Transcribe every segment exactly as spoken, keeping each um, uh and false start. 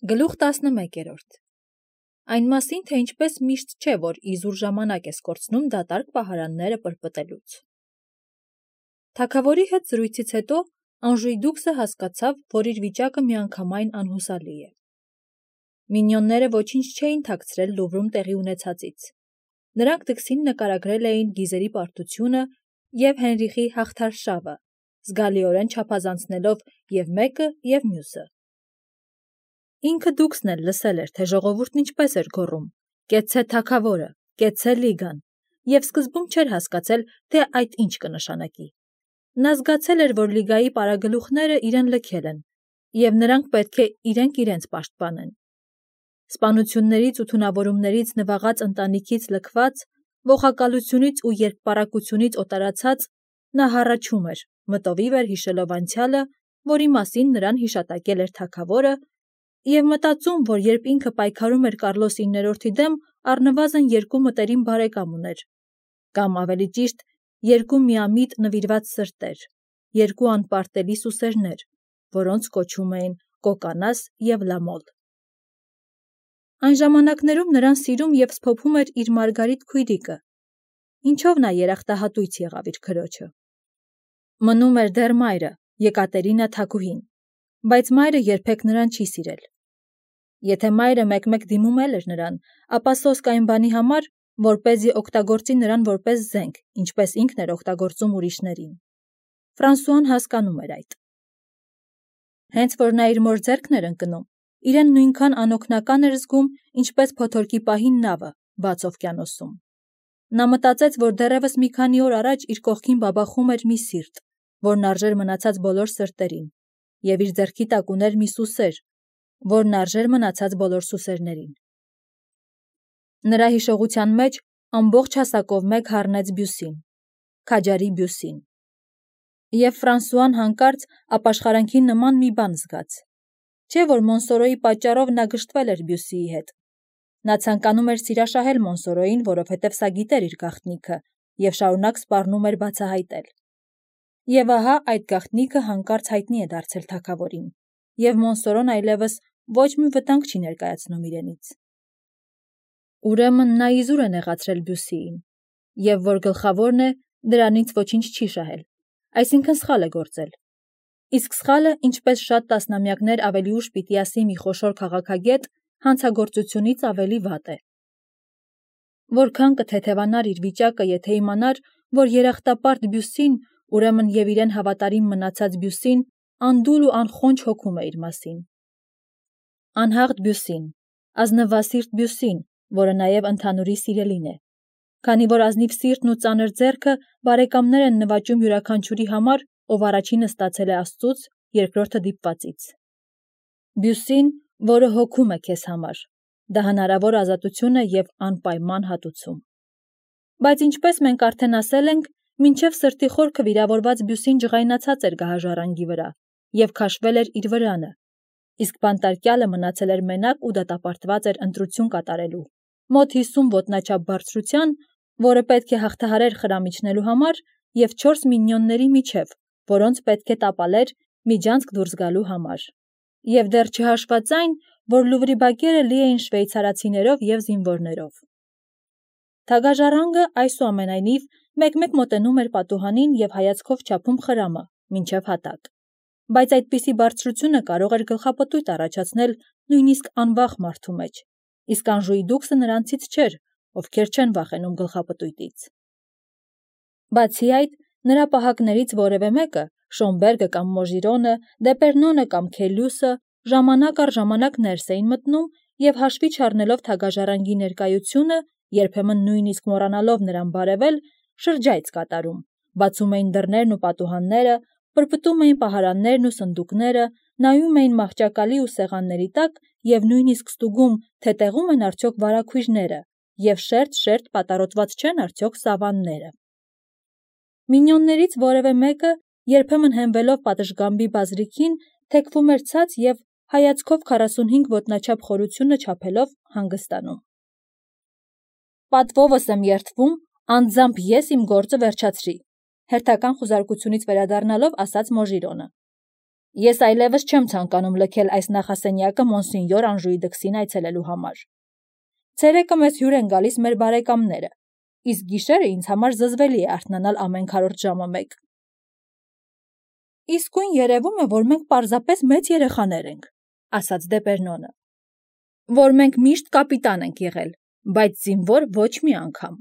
Գլուխ տասնմեկերորդ Այն մասին, թե ինչպես միշտ չէ, որ իզուր ժամանակ ես կորցնում դատարկ պահարանները պրպտելուց։ Թագավորի հետ զրույցից հետո Անժուի դուքսը հասկացավ, որ իր վիճակը միանգամայն անհուսալի է։ Մինյոնները ոչինչ չէին թաքցրել Լուվրում տեղի ունեցածից։ Նրանք դքսին նկարագրել էին գիզերի պարտությունը և Հենրիխի հաղթարշավը, զգալիորեն չափազանցնելով և մեկը և մյուսը։ Ինքը դուքսն էլ լսել էր, թե ժողովուրդն ինչպես էր գոռում. «Կեցցե թագավորը, կեցցե լիգան», և սկզբում չէր հասկացել, թե այդ ինչ կնշանակի։ Նա զգացել էր, որ լիգայի պարագլուխները իրեն լքել են, և նրանք պետք է իրենք իրենց պաշտպանեն։ Սպանություններից ու թունավորումներից նվաղած ընտանիքից լքված, ողակալությունից ու երկպառակությունից օտարացած, նա հառաչում էր, մտովի վեր հիշելով անցյալը, որի մասին նրան հիշատակել էր թագավորը, և մտածում, որ երբ ինքը պայքարում էր Կարլոս իններորդի դեմ, առնվազն երկու մտերիմ բարեկամ ուներ, կամ ավելի ճիշտ, երկու միամիտ նվիրված սրտեր, երկու անպարտելի սուսերներ, որոնց կոչում էին Կոկանաս և Լամոլ։ Այն ժամանակներում նրան սիրում և սփոփում էր իր Մարգարիտ քույրիկը, ինչով նա երախտահատույց եղավ իր քրոջը։ Մնում էր դեռ մայրը, Եկատերինա թագուհին, բայց մայրը երբեք նրան չի սիրել։ Եթե մայրը մեկ-մեկ դիմում էլ էր նրան, ապա սոսկ այն բանի համար, որպեսզի օգտագործի նրան որպես զենք, ինչպես ինքն էր օգտագործում ուրիշներին։ Ֆրանսուան հասկանում էր այդ։ Հենց որ նա իր մոր ձեռքն էր ընկնում, իրեն նույնքան անօգնական էր զգում, ինչպես փոթորկի պահին նավը, բաց օվկիանոսում։ Նա մտածեց, որ դեռևս մի քանի օր առաջ իր կողքին բաբախում էր մի սիրտ, որն արժեր մնացած բոլոր սրտերին, և իր ձեռքի տակ ուներ մի սուսեր, որն արժեր մնացած բոլոր սուսերներին։ Նրա հիշողության մեջ ամբողջ հասակով մեկ հառնեց Բյուսին, քաջարի Բյուսին։ Եվ Ֆրանսուան հանկարծ ապաշխարանքի նման մի բան զգաց։ Չէ՞ որ Մոնսորոյի պատճառով նա գժտվել էր Բյուսիի հետ։ Նա ցանկանում էր սիրաշահել Մոնսորոյին, որովհետև սա գիտեր իր գաղտնիքը, և շարունակ սպառնում էր բացահայտել։ Եվ ահա այդ գաղտնիքը հանկարծ հայտնի է դարձել թագավորին, և Մոնսորոն այլևս ոչ մի վտանգ չի ներկայացնում իրենից։ Ուրեմն նա իզուր է նեղացրել Բյուսիին, և որ գլխավորն է, դրանից ոչինչ չի շահել, այսինքն սխալ է գործել։ Իսկ սխալը, ինչպես շատ տասնամյակներ ավելի ուշ պիտի ասի մի խոշոր քաղաքագետ, հանցագործությունից ավելի վատ է։ Որքան կթեթևանար իր վիճակը, եթե իմանար, որ երախտապարտ Բյուսին, ուրեմն և իրեն հավատարիմ մնացած Բյուսին, անդուլ ու անխոնջ հոգում է իր մասին։ Անհաղթ Բյուսին, ազնվասիրտ Բյուսին, որը նաև ընդհանուրի սիրելին է, քանի որ ազնիվ սիրտն ու ծանր ձեռքը բարեկամներ են նվաճում յուրաքանչյուրի համար, ով առաջինը ստացել է Աստծուց, երկրորդը դիպվածից։ Բյուսին, որը հոգում է քեզ համար, դա հնարավոր ազատություն է և անպայման հատուցում։ Բայց ինչպես մենք արդեն ասել ենք, մինչև սրտի խորքը վիրավորված Բյուսին ջղայնացած էր գահաժառանգի վրա և քաշվել էր իր վրանը, իսկ բանտարկյալը մնացել էր մենակ ու դատապարտված էր ընտրություն կատարելու, մոտ հիսուն ոտնաչափ բարձրության, որը պետք է հաղթահարեր խրամիչնելու համար, և չորս մինյոնների միջև, որոնց պետք է տապալեր միջանցք դուրս գալու համար։ Եվ դեռ չհաշված այն, որ Լուվրի բակերը լի էին շվեյցարացիներով և զինվորներով։ Թագաժառանգը, այսուամենայնիվ, մեկ-մեկ մոտենում էր պատուհանին և հայացքով չափում խրամը, մինչև հատակ։ Բայց այդպիսի բարձրությունը կարող էր գլխապտույտ առաջացնել նույնիսկ անվախ մարդու մեջ, իսկ Անժուի դուքսը նրանցից չէր, ովքեր չեն վախենում գլխապտույտից։ Բացի այդ, նրա պահակներից որևէ մեկը, Շոմբերգը կամ Մոժիրոնը, Դեպերնոնը կամ Քելյուսը, ժամանակ առ ժամանակ ներս էին մտնում և հաշվի չառնելով թագաժառանգի ներկայությունը, երբեմն նույնիսկ մոռանալով նրան բարևել, շրջայց կատարում, բացում էին դռներն ու պատուհանները, պրպտում էին պահարաններն ու սնդուկները, նայում էին մահճակալի ու սեղանների տակ և նույնիսկ ստուգում, թե տեղում են արդյոք վարագույրները և շերտ-շերտ պատառոտված չեն արդյոք սավանները։ Մինյոններից որևէ մեկը, երբեմն հենվելով պատշգամբի բազրիքին, թեքվում էր ցած և հայացքով քառասունհինգ ոտնաչափ խորությունը չափելով հանգստանում։ Պատվովս եմ երդվում, անձամբ ես իմ գործը վերջացրի, հերթական խուզարկությունից վերադառնալով ասաց Մոժիրոնը։ Ես այլևս չեմ ցանկանում լքել այս նախասենյակը մոնսենյոր Անժուի դքսին այցելելու համար։ Ցերեկը մեզ հյուր են գալիս մեր բարեկամները, իսկ գիշերը ինձ համար զզվելի է արթնանալ ամեն քառորդ ժամը մեկ։ Իսկույն երևում է, որ մենք պարզապես մեծ երեխաներ ենք, ասաց Դեպերնոնը, որ մենք միշտ կապիտան ենք եղել, բայց զինվոր ոչ մի անգամ։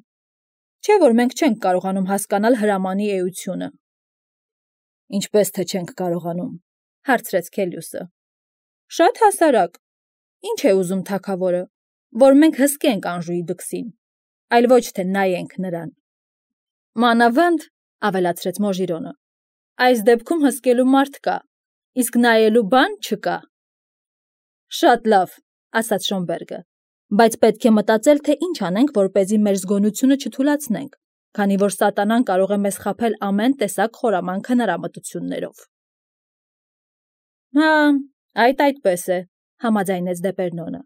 Չէ՞ որ մենք չենք կարողանում հասկանալ հրամանի էությունը։ Ինչպես թե չենք կարողանում, հարցրեց Քելիուսը։ Շատ հասարակ։ Ինչ է ուզում թագավորը, որ մենք հսկենք Անժուի դքսին, այլ ոչ թե նայենք նրան։ Մանավանդ, ավելացրեց Մոժիրոնը, այս դեպքում հսկելու մարդ կա, իսկ նայելու բան չկա։ Շատ լավ, ասաց Շոնբերգը, բայց պետք է մտածել, թե ինչ անենք, որպեսզի մեր զգոնությունը չթուլացնենք, քանի որ սատանան կարող է մեզ խաբել ամեն տեսակ խորամանկ հնարամտություններով։ Հա, այդ այդպես է, համաձայնեց Դեպերնոնը։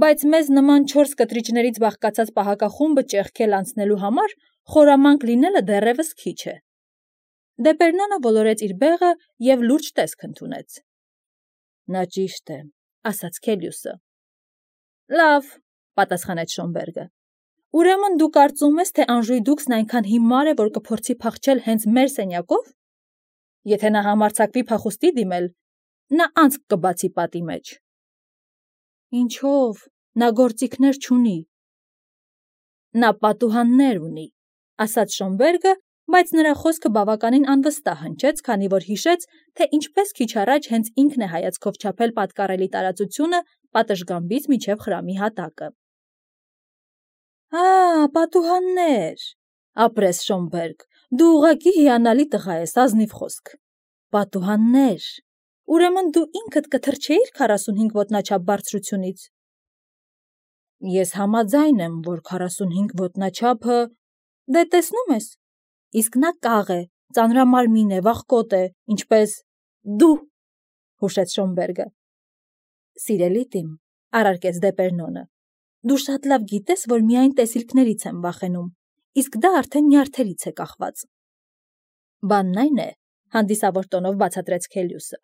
Բայց մեզ նման չորս կտրիչներից բաղկացած պահակախումբը ճեղքել անցնելու համար խորամանկ լինելը դեռևս քիչ է։ Դեպերնոնը ոլորեց իր բեղը և լուրջ տեսք ընդունեց։ Նա ճիշտ է, ասաց Քելիուսը։ Լավ, պատասխանեց Շոնբերգը։ Ուրեմն դու կարծում ես, թե Անժուի դուքսն այնքան հիմար է, որ կփորձի փախչել հենց մեր սենյակով։ Եթե նա համարձակվի փախուստի դիմել, նա անցք կբացի պատի մեջ։ Ինչով, նա գործիքներ չունի։ Նա պատուհաններ ունի, ասաց Շոնբերգը, բայց նրա խոսքը բավականին անվստահ հնչեց, քանի որ հիշեց, թե ինչպես քիչ առաջ հենց ինքն է հայացքով չափել պատկառելի տարածությունը պատշգամբից մինչև խրամի հատակը։ Ա, պատուհաններ, ապրես Շոնբերգ, դու ուղղակի հիանալի տղա ես, ազնիվ խոսք։ Պատուհաններ, ուրեմն դու ինքդ կթռչեիր քառասունհինգ ոտնաչափ բարձրությունից։ Ես համաձայն եմ, որ քառասունհինգ ոտնաչափը, դե տեսնում ես, իսկ նա կաղ է, ծանրամարմին է, վախկոտ է, ինչպես դու, հուշեց Շոնբերգը։ Սիրելի տիմ, առարկեց Դեպերնոնը, դու շատ լավ գիտես, որ միայն տեսիլքներից եմ վախենում, իսկ դա արդեն նյարդերից է կախված։ Բանն այն է, հանդիսավոր տոնով բացատրեց Քելիուսը,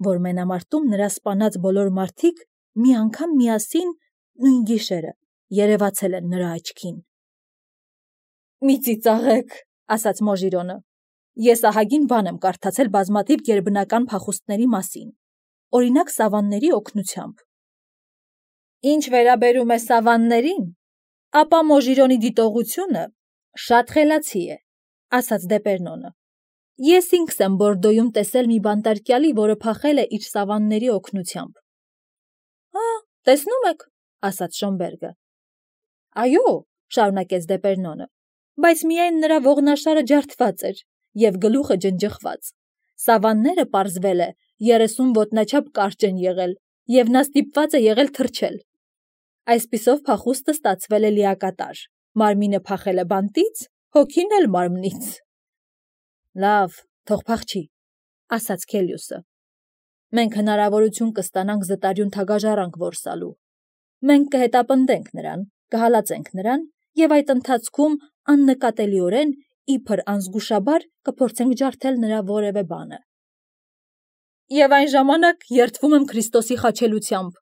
որ մենամարտում նրա սպանած բոլոր մարդիկ մի անգամ միասին նույն գիշերը երևացել են նրա աչքին։ Մի ծիծաղեք, ասաց Մոժիրոնը, ես ահագին բան եմ կարդացել բազմաթիվ գերբնական փախուստների մասին, օրինակ սավանների օգնությամբ։ Ինչ վերաբերում է սավաններին, ապա Մոժիրոնի դիտողությունը շատ խելացի է, ասաց Դեպերնոնը։ Ես ինքս եմ Բորդոյում տեսել մի բանտարկյալի, որը փախել է իր սավանների օգնությամբ։ Հա, տեսնում եք, ասաց Շոնբերգը։ Այո, շարունակեց Դեպերնոնը, բայց միայն նրա ողնաշարը ջարդված էր և գլուխը ջնջխված։ Սավանները, պարզվել է, երեսուն ոտնաչափ կարճ են եղել, և նա ստիպված է եղել թռչել։ Այսպիսով փախուստը ստացվել է լիակատար, մարմինը փախել է բանտից, հոգին էլ մարմնից։ Լավ, թող փախչի, ասաց Քելիուսը։ Մենք հնարավորություն կստանանք զտարյուն թագաժառանգ որսալու։ Մենք կհետապնդենք նրան, կհալածենք նրան և այդ ընթացքում աննկատելիորեն իբր անզգուշաբար կփորձենք ջարդել նրա որևէ բանը։ Եվ այն ժամանակ երդվում եմ Քրիստոսի խաչելությամբ,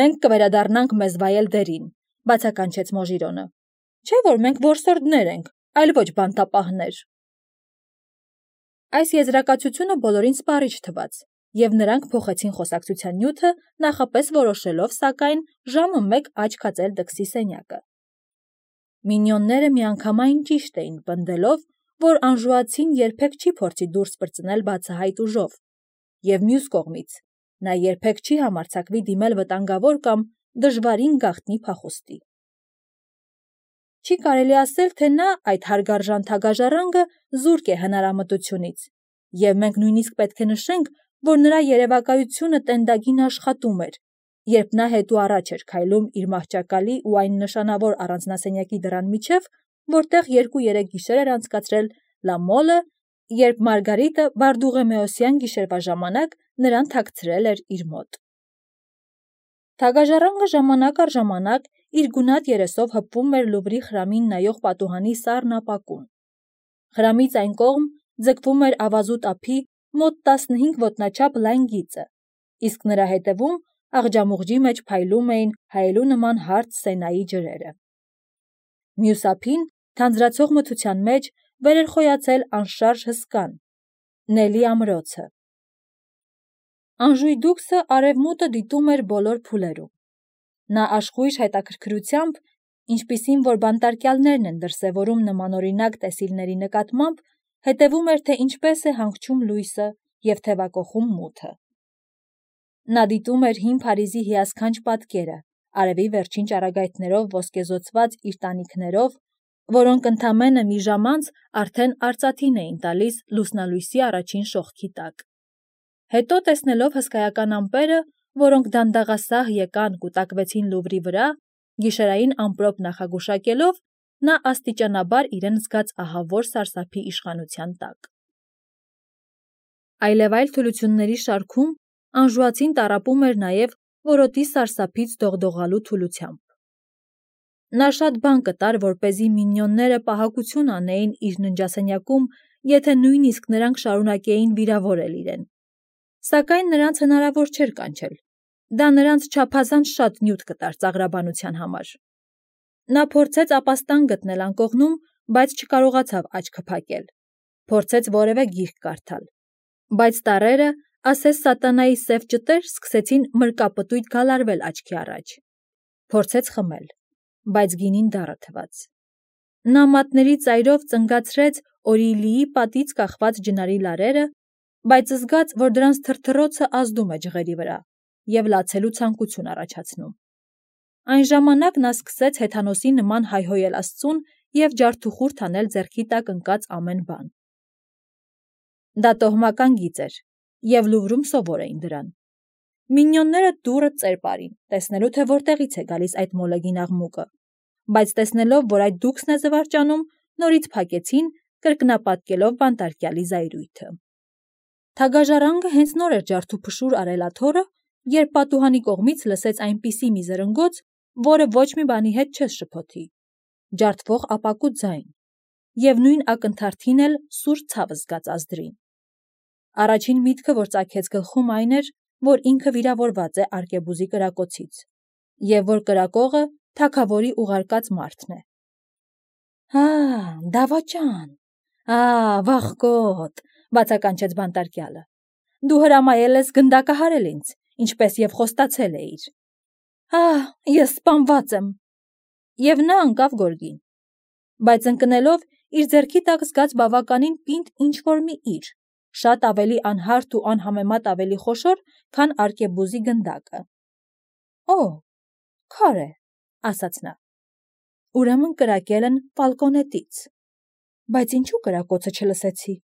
մենք կվերադառնանք մեզ վայել դերին, բացականչեց Մոժիրոնը։ Չէ՞ որ մենք որսորդներ ենք, այլ ոչ բանտապահներ։ Այս եզրակացությունը բոլորին սպառիչ թվաց, և նրանք փոխեցին խոսակցության նյութը, նախապես որոշելով, սակայն, ժամը մեկ աչք հածել դքսի սենյակը։ Մինյոնները միանգամայն ճիշտ էին պնդելով, որ անժուացին երբեք չի փորձի դուրս պրծնել բացահայտ ուժով, և մյուս կողմից, նա երբեք չի համարձակվի դիմել վտանգավոր կամ դժվարին գաղտնի փախուստի։ Չի կարելի ասել, թե նա, այդ հարգարժան թագաժառանգը, զուրկ է հնարամտությունից, և մենք նույնիսկ պետք է նշենք, որ նրա երևակայությունը տենդագին աշխատում էր, երբ նա հետո առաջ էր քայլում իր մահճակալի ու այն նշանավոր առանձնասենյակի դռան միջև, որտեղ երկու-երեք գիշեր էր անցկացրել Լա Մոլը, երբ Մարգարիտը Բարդուղեմեոսյան գիշերվա ժամանակ նրան թաքցրել էր իր մոտ։ Թագաժառանգը ժամանակ առ ժամանակ իր գունատ երեսով հպվում էր Լուվրի խրամին նայող պատուհանի սառն ապակուն։ Խրամից այն կողմ ձգվում էր ավազուտ ափի մոտ տասնհինգ ոտնաչափ լայն գիծը, իսկ նրա հետևում աղջամուղջի մեջ փայլում էին հայելու նման հարթ Սենայի ջրերը։ Մյուս ափին, թանձրացող մթության մեջ, վեր էր խոյացել անշարժ հսկան, Նելի ամրոցը։ Անժուй դուքսը արևմուտքը դիտում էր բոլոր փուլերում։ Նա աշխույժ հետաքրքրությամբ, ինչպիսին որ բանտարկյալներն են դրսևորում նմանօրինակ տեսիլների նկատմամբ, հետևում էր, թե ինչպես է հանգչում լույսը և թևակոխում մութը։ Նա դիտում էր հին Փարիզի հիասքանչ պատկերը, արևի վերջին ճառագայթներով ոսկեզօծված իր տանիքներով, որոնք ընդամենը մի ժամ անց արդեն արծաթին էին տալիս լուսնալույսի առաջին շողքի տակ։ Հետո տեսնելով հսկայական ամպերը, որոնք դանդաղասահ եկան կուտակվեցին Լուվրի վրա, գիշերային ամպրոպ նախագուշակելով, նա աստիճանաբար իրեն զգաց ահավոր սարսափի իշխանության տակ։ Այլևայլ թուլությունների շարքում անժուացին տառապում էր նաև որոտի սարսափից դողդողալու թուլությամբ։ Նա շատ բան կտար, որպեսզի մինիոնները պահակություն անեին իր ննջասենյակում, եթե նույնիսկ նրանք շարունակեին վիրավորել իրեն։ Սակայն նրանց հնարավոր չէր կանչել։ Դա նրանց չափազանց շատ նյութ կտար ծաղրաբանության համար։ Նա փորձեց ապաստան գտնել անկողնում, բայց չկարողացավ աչքը փակել։ Փորձեց որևէ գիրք կարդալ։ Բայց տառերը, ասես սատանայի սև ճտեր, սկսեցին մրկապտույտ գալարվել աչքի առաջ։ Փորձեց խմել, բայց գինին դառը թվաց։ Նա մատների ծայրով ծնգացրեց Օրիլիի պատից կախված ջնարի լարերը, բայց զգաց, որ դրանց թրթռոցը ազդում է ջղերի վրա և լացելու ցանկություն առաջացնում։ Այն ժամանակ նա սկսեց հեթանոսի նման հայհոյել Աստծուն և ջարդուխուրդ անել ձեռքի տակ ընկած ամեն բան։ Դա տոհմական գիծ էր, և Լուվրում սովոր էին դրան։ Մինիոնները դուռը ծեր պարին, տեսնելու թե որտեղից է գալիս այդ մոլեգին աղմուկը, բայց տեսնելով, որ այդ դուքսն է զվարճանում, նորից փակեցին, կրկնապատկելով բանտարկյալի զայրույթը։ Թագաժառանգը հենց նոր էր ջարդուփշուր արել աթոռը, երբ պատուհանի կողմից լսեց այնպիսի մի զրնգոց, որը ոչ մի բանի հետ չես շփոթի, ջարդվող ապակու ձայն, և նույն ակնթարթին էլ սուր ցավ զգաց ազդրին։ Առաջին միտքը, որ ծագեց գլխում, այն էր, որ ինքը վիրավորված է արկեբուզի կրակոցից, և որ կրակողը թագավորի ուղարկած մարդն է։ «Ա, դավաճան, ա, վախկոտ», բացականչեց բանտարկյալը, «դու հրամայել ես գնդակահարել ինձ, ինչպես և խոստացել էիր»։ «Ահ, ես սպանված եմ»։ Եվ նա ընկավ գորգին, բայց ընկնելով իր ձեռքի տակ զգաց բավականին պինդ ինչ-որ մի իր, շատ ավելի անհարթ ու անհամեմատ ավելի խոշոր, քան արկեբուզի գնդակը։ «Օ, քար է», ասաց նա։ «Ուրեմն կրակել են Ֆալկոնետից, բայց ինչու կրակոցը չլսեցի»։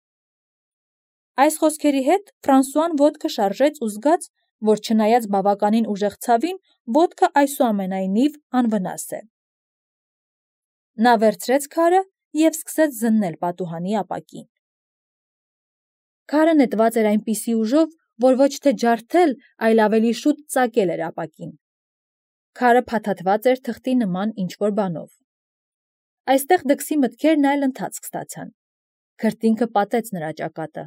Այս խոսքերի հետ Ֆրանսուան ոտքը շարժեց ու զգաց, որ չնայած բավականին ուժեղ ցավին, ոտքը այսուամենայնիվ անվնաս է։ Նա վերցրեց քարը և սկսեց զննել պատուհանի ապակին։ Քարը նետված էր այնպիսի ուժով, որ ոչ թե ջարդել, այլ ավելի շուտ ծակել էր ապակին։ Քարը փաթաթված էր թղթի նման ինչ-որ բանով։ Այստեղ դքսի մտքերն այլ ընթացք ստացան։ Քրտինքը պատեց նրա ճակատը։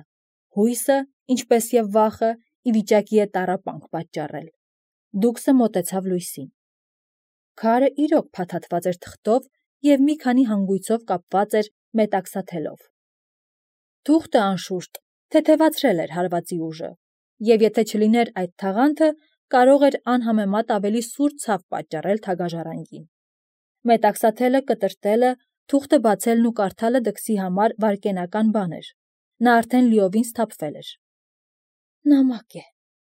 Հույսը, ինչպես և վախը, ի վիճակի է տառապանք պատճառել։ Դուքսը մոտեցավ լույսին։ Քարը իրոք փաթաթված էր թղթով և մի քանի հանգույցով կապված էր մետաքսաթելով։ Թուղթը, անշուշտ, թեթևացրել էր հարվածի ուժը, և եթե չլիներ այդ թաղանթը, կարող էր անհամեմատ ավելի սուր ցավ պատճառել թագաժառանգին։ Մետաքսաթելը կտրտելը, թուղթը բացելն ու կարդալը դքսի համար վայրկենական բան էր։ Նա արդեն լիովին սթափվել էր։ «Նամակ է»,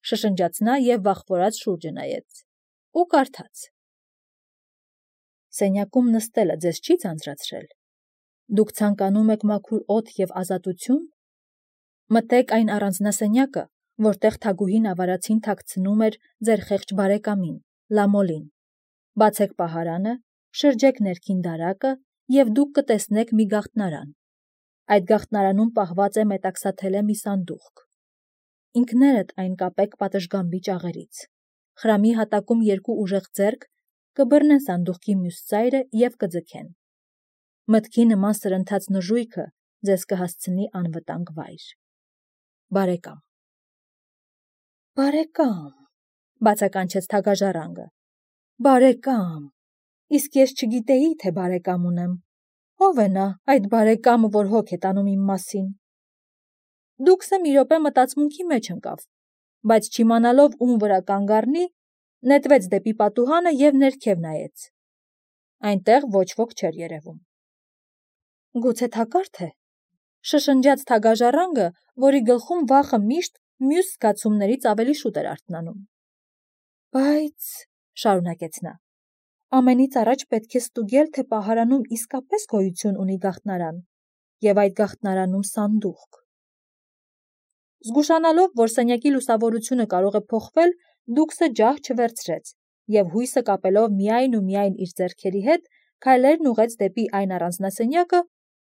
շշնջաց նա և վախվորած շուրջը նայեց։ Ու կարդաց. «Սենյակում նստելը ձեզ չի ձանձրացրել։ Դուք ցանկանում եք մաքուր օդ և ազատություն։ Մտեք այն առանձնասենյակը, որտեղ թագուհին ավարածին թաքցնում էր ձեր խեղճ բարեկամին, Լամոլին։ Բացեք պահարանը, շրջեք ներքին դարակը, և դուք կտեսնեք մի գաղտնարան։ Այդ գաղտնարանում պահված է մետաքսաթելե մի սանդուղք։ Ինքներդ այն կապեք պատշգամբի ճաղերից։ Խրամի հատակում երկու ուժեղ ձեռք կբռնեն սանդուղքի մյուս ծայրը և կձգեն։ Մտքի նման սրընթաց նժույգը ձեզ կհասցնի անվտանգ վայր»։ բարեկամ։ Բարեկամ, բացականչեց թագաժառանգը։ Բարեկամ, իսկ ես չգիտեի, թե բարեկամ ունեմ։ Ո՞վ է նա, այդ բարեկամը, որ հոգ է տանում իմ մասին։ Դուքսը մի րոպե մտածմունքի մեջ ընկավ, բայց չիմանալով ում վրա կանգ առնի, նետվեց դեպի պատուհանը և ներքև նայեց։ Այնտեղ ոչ ոք չէր երևում։ Գուցե թակարդ է, շշնջաց թագաժառանգը, որի գլխում վախը միշտ մյուս զգացումներից ավելի շուտ էր արթնանում։ Բայց, շարունակեց նա, ամենից առաջ պետք է ստուգել, թե պահարանում իսկապես գոյություն ունի գաղտնարան, և այդ գաղտնարանում սանդուղք։ Զգուշանալով, որ սենյակի լուսավորությունը կարող է փոխվել, Դուքսը ջահ չվերցրեց և հույսը կապելով միայն ու միայն իր ձեռքերի հետ, քայլերն ուղղեց դեպի այն առանձնասենյակը,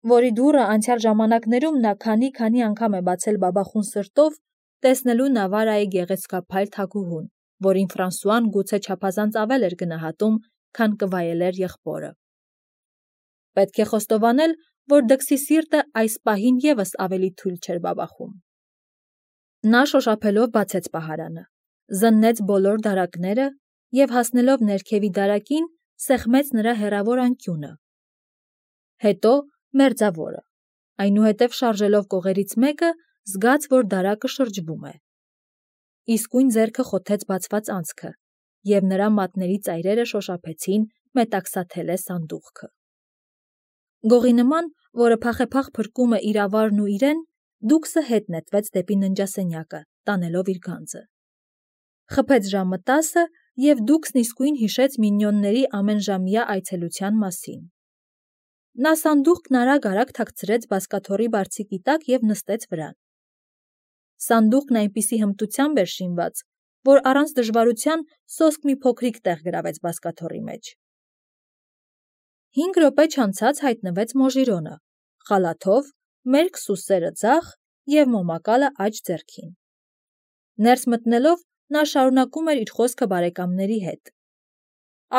որի դուռը անցյալ ժամանակներում նա քանի-քանի անգամ է բացել բաբախուն սրտով, տեսնելու Նավարայի գեղեցկափայլ թագուհուն, որին Ֆրանսուան գուցե չափազանց ավել էր գնահատում, քան կվայելեր եղբորը։ Պետք է խոստովանել, որ Դքսի սիրտը այս պահին ևս ավելի թույլ չէր բաբախում։ Նա շոշափելով բացեց պահարանը, զննեց բոլոր դարակները և հասնելով ներքևի դարակին, սեղմեց նրա հեռավոր անկյունը։ Հետո մերձավորը, այնուհետև շարժելով կողերից մեկը, զգաց, որ դարակը շրջվում է։ Իսկույն ձեռքը խոթեց բացված անցքը, և նրա մատների ծայրերը շոշափեցին մետաքսաթելե սանդուղքը։ Գողի նման, որը փախեփախ փրկում է իր ավարն ու իրեն, Դուքսը հետ նետվեց դեպի ննջասենյակը, տանելով իր գանձը։ Խփեց ժամը տասը, և Դուքսն իսկույն հիշեց մինիոնների ամենժամյա այցելության մասին։ Նա սանդուղքն արագ-արագ թաքցրեց բազկաթոռի բարձիկի տակ և նստեց վրան։ Սանդուղքն այնպիսի հմտությամբ էր շինված, որ առանց դժվարության սոսկ մի փոքրիկ տեղ գրավեց բազկաթոռի մեջ։ Հինգ րոպե չանցած հայտնվեց Մոժիրոնը, խալաթով, մերկ սուսերը ձախ և մոմակալը աջ ձեռքին։ Ներս մտնելով, նա շարունակում էր իր խոսքը բարեկամների հետ։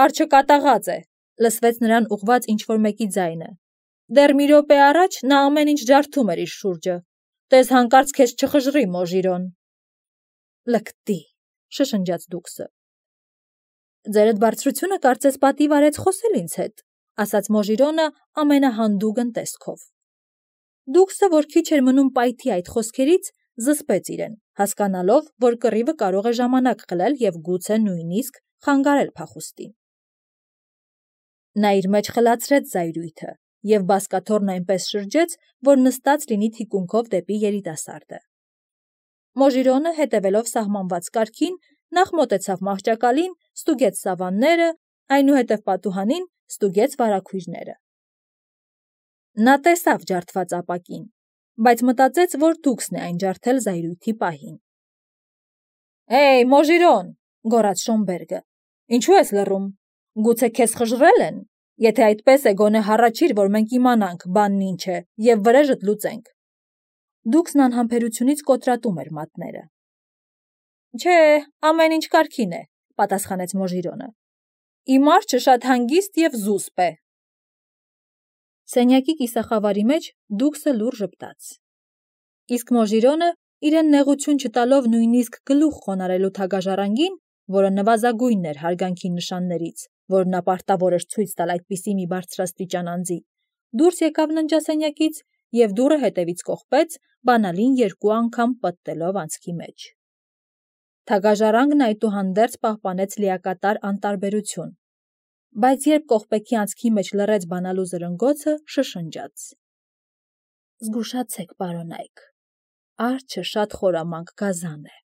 Արջը կատաղած է, լսվեց նրան ուղղված ինչ-որ մեկի ձայնը։ Դեռ մի րոպե առաջ նա ամեն ինչ ջարդում էր իր շուրջը։ Տես հանկարծ քեզ չխժռի, Մոժիրոն։ Լկտի, շշնջաց Դուքսը։ Ձերդ բարձրությունը կարծես պատիվ արեց խոսել ինձ հետ, ասաց Մոժիրոնը ամենահանդուգն տեսքով։ Դուքսը, որ քիչ էր մնում պայթի այդ խոսքերից, զսպեց իրեն, հասկանալով, որ կռիվը կարող է ժամանակ խլել և գուցե նույնիսկ խանգարել փախուստին։ Նա իր մեջ խլացրեց զայրույթը և բազկաթոռն այնպես շրջեց, որ նստած լինի թիկունքով դեպի երիտասարդը։ Մոժիրոնը, հետևելով սահմանված կարգին, նախ մոտեցավ մահճակալին, ստուգեց սավանները, այնուհետև պատուհանին, ստուգեց վարագույրները։ Նա տեսավ ջարդված ապակին, բայց մտածեց, որ Դուքսն է այն ջարդել զայրույթի պահին։ Հեյ, Մոժիրոն, գոռաց Շոմբերգը, ինչու ես լռում։ Գուցե քեզ խժռել են։ Եթե այդպես է, գոնե հառաչիր, որ մենք իմանանք բանն ինչ է, և վրեժդ լուծենք։ Դուքսն անհամբերությունից կոտրատում էր մատները։ Չէ, ամեն ինչ կարգին է, պատասխանեց Մոժիրոնը։ Իմ արջը շատ հանգիստ և զուսպ է։ Սենյակի կիսախավարի մեջ Դուքսը լուռ ժպտաց։ Իսկ Մոժիրոնը, իրեն նեղություն չտալով նույնիսկ գլուխ խոնարհելու թագաժառանգին, որը նվազագույնն էր հարգանքի նշաններից, որ նա պարտավոր էր ցույց տալ այդպիսի մի բարձրաստիճան անձի, դուրս եկավ ննջասենյակից և դուռը հետևից կողպեց, բանալին երկու անգամ պտտելով անցքի մեջ։ Թագաժառանգն այդուհանդերձ պահպանեց լիակատար անտարբերություն, բայց երբ կողպեքի անցքի մեջ լռեց բանալու զրնգոցը, շշնջաց. Զգուշացեք, պարոնայք, արջը շատ խորամանկ գազան է։